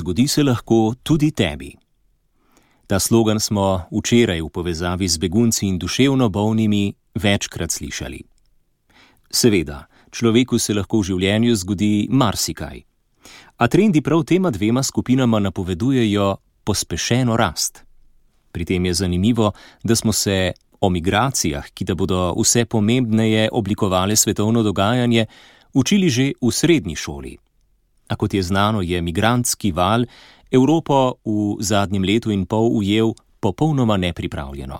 zgodi se lahko tudi tebi. Ta slogan smo včeraj v povezavi z begunci in duševno bolnimi večkrat slišali. Seveda, človeku se lahko v življenju zgodi marsikaj. A trendi prav tema dvema skupinama napovedujejo pospešeno rast. Pri tem je zanimivo, da smo se o migracijah, ki da bodo vse pomembneje oblikovale svetovno dogajanje, učili že v srednji šoli. A kot je znano, je migrantski val Evropo v zadnjem letu in pol ujel popolnoma nepripravljeno.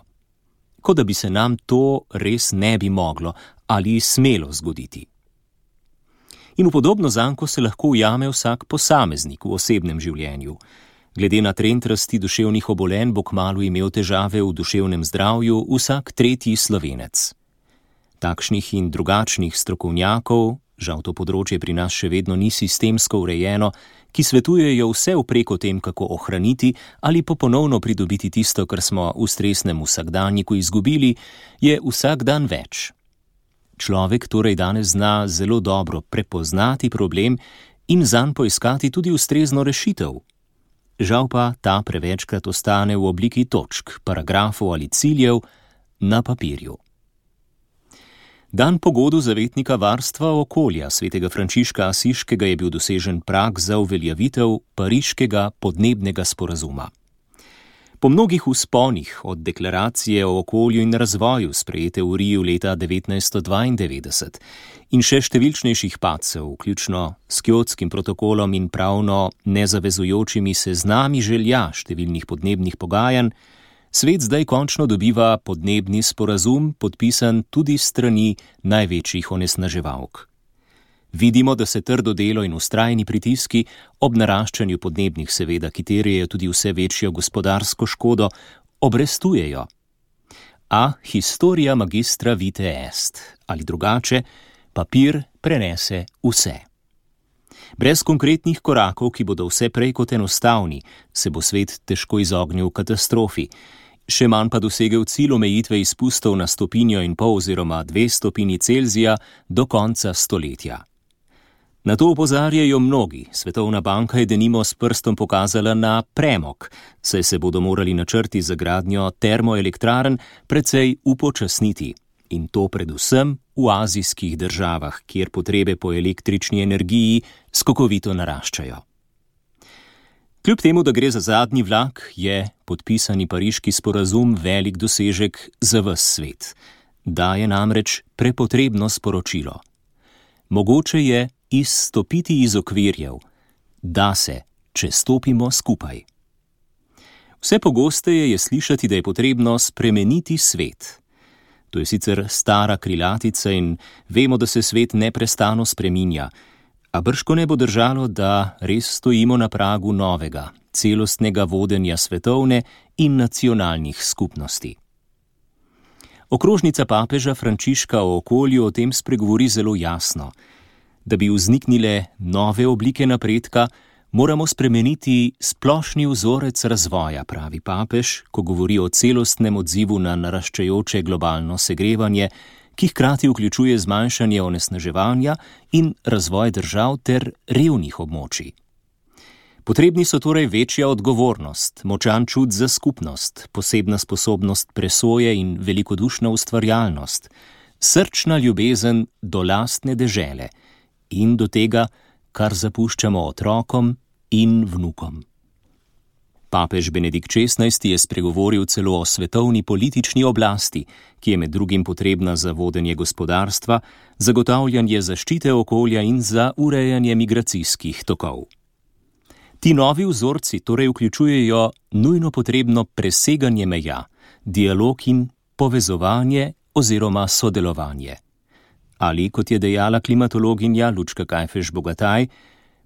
Kot da bi se nam to res ne bi moglo ali smelo zgoditi. In v podobno zanko se lahko ujame vsak posameznik v osebnem življenju. Glede na trend rasti duševnih obolenj bo kmalu imel težave v duševnem zdravju vsak tretji Slovenec. Takšnih in drugačnih strokovnjakov, žal to področje pri nas še vedno ni sistemsko urejeno, ki svetujejo vse vprek o tem, kako ohraniti ali pa ponovno pridobiti tisto, kar smo v stresnem vsakdanjiku izgubili, je vsak dan več. Človek torej danes zna zelo dobro prepoznati problem in zanj poiskati tudi ustrezno rešitev. Žal pa ta prevečkrat ostane v obliki točk, paragrafov ali ciljev na papirju. Dan pogodu zavetnika varstva okolja svetega Frančiška Asiškega je bil dosežen prag za uveljavitev Pariškega podnebnega sporazuma. Po mnogih vzponih od deklaracije o okolju in razvoju sprejete v Riju leta 1992 in še številčnejših padcev, vključno s Kjotskim protokolom in pravno nezavezujočimi seznami želja številnih podnebnih pogajanj, svet zdaj končno dobiva podnebni sporazum, podpisan tudi s strani največjih onesnaževalk. Vidimo, da se trdo delo in vztrajni pritiski ob naraščanju podnebnih seveda, ki terjajo tudi vse večjo gospodarsko škodo, obrestujejo. A historia magistra vitae est, ali drugače, papir prenese vse. Brez konkretnih korakov, ki bodo vse prej kot enostavni, se bo svet težko izognil katastrofi, še manj pa dosegel cilj omejitve izpustov na 1,5 oziroma 2 stopinji Celzija do konca stoletja. Na to opozarjajo mnogi. Svetovna banka je denimo s prstom pokazala na premog, saj se bodo morali načrti za gradnjo termoelektrarn precej upočasniti. In to predvsem v azijskih državah, kjer potrebe po električni energiji skokovito naraščajo. Kljub temu, da gre za zadnji vlak, je podpisani Pariški sporazum velik dosežek za ves svet. Daje namreč prepotrebno sporočilo. Mogoče je izstopiti iz okvirjev, da se, če stopimo skupaj. Vse pogosteje je slišati, da je potrebno spremeniti svet. To je sicer stara krilatica in vemo, da se svet neprestano spreminja, a bržkone bo držalo, da res stojimo na pragu novega, celostnega vodenja svetovne in nacionalnih skupnosti. Okrožnica papeža Frančiška o okolju o tem spregovori zelo jasno. Da bi vzniknile nove oblike napredka, moramo spremeniti splošni vzorec razvoja, pravi papež, ko govori o celostnem odzivu na naraščajoče globalno segrevanje, ki hkrati vključuje zmanjšanje onesnaževanja in razvoj držav ter revnih območij. Potrebni so torej večja odgovornost, močan čut za skupnost, posebna sposobnost presoje in velikodušna ustvarjalnost, srčna ljubezen do lastne dežele in do tega, kar zapuščamo otrokom in vnukom. Papež Benedikt XVI je spregovoril celo o svetovni politični oblasti, ki je med drugim potrebna za vodenje gospodarstva, zagotavljanje zaščite okolja in za urejanje migracijskih tokov. Ti novi vzorci torej vključujejo nujno potrebno preseganje meja, dialog in povezovanje oziroma sodelovanje. Ali, kot je dejala klimatologinja Lučka Kajfež-Bogataj,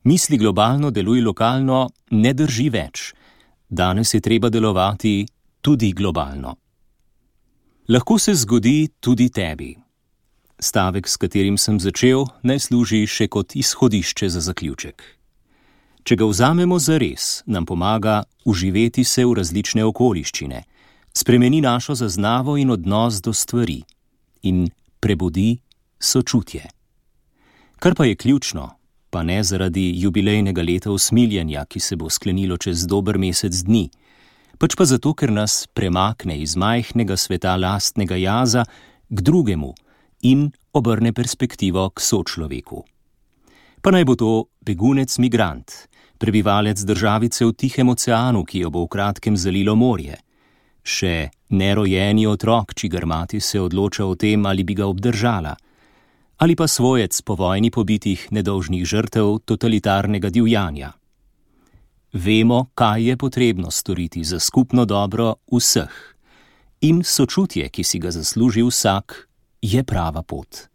misli globalno, deluj lokalno, ne drži več. Danes je treba delovati tudi globalno. Lahko se zgodi tudi tebi. Stavek, s katerim sem začel, naj služi še kot izhodišče za zaključek. Če ga vzamemo zares, nam pomaga uživeti se v različne okoliščine, spremeni našo zaznavo in odnos do stvari in prebudi sočutje. Kar pa je ključno, pa ne zaradi jubilejnega leta usmiljenja, ki se bo sklenilo čez dober mesec dni, pač pa zato, ker nas premakne iz majhnega sveta lastnega jaza k drugemu in obrne perspektivo k sočloveku. Pa naj bo to begunec-migrant, prebivalec državice v Tihem oceanu, ki jo bo v kratkem zalilo morje, še nerojeni otrok, čigar mati se odloča o tem, ali bi ga obdržala, ali pa svojec po vojni pobitih nedolžnih žrtev totalitarnega divjanja. Vemo, kaj je potrebno storiti za skupno dobro vseh, in sočutje, ki si ga zasluži vsak, je prava pot.